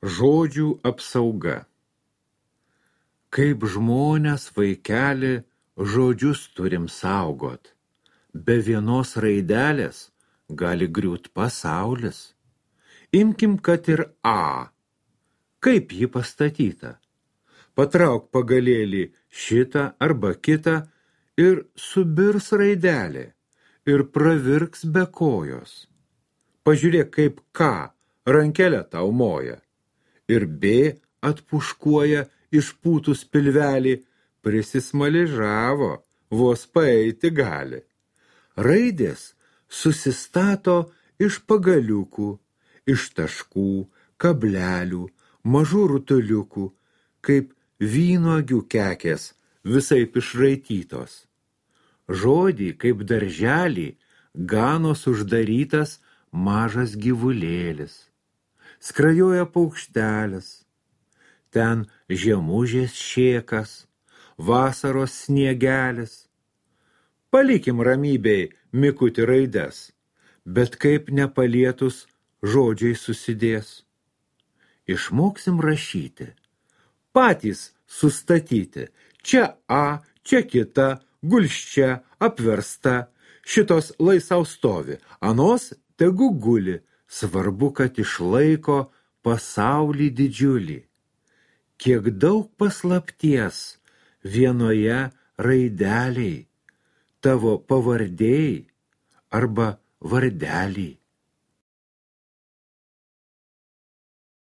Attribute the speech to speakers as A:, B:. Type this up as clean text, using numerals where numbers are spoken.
A: Žodžių apsauga. Kaip žmonės, vaikeli, žodžius turim saugot. Be vienos raidelės gali griūt pasaulis. Imkim, kad ir A. Kaip ji pastatyta? Patrauk pagalėlį šitą arba kitą ir subirs raidelė ir pravirks be kojos. Pažiūrėk, kaip K rankelę tau moja. Ir B atpuškuoja išpūtus pilvelį, prisismaližavo, vos paeiti gali. Raidės susistato iš pagaliukų, iš taškų, kablelių, mažų rutuliukų, kaip vynuogių kekės visaip išraitytos. Žodį, kaip darželį, ganos uždarytas mažas gyvulėlis. Skrajoja paukštelis, ten žiemužės šėkas, vasaros sniegelis. Palikim ramybei mikutį raides, bet kaip nepalietus žodžiai susidės. Išmoksim rašyti, patys sustatyti, čia A, čia kita, gulščia, apversta, šitos lai sau stovi, anos tegu guli. Svarbu, kad išlaiko pasaulį didžiulį. Kiek daug paslapties vienoje raideliai, tavo pavardėjai arba vardeliai.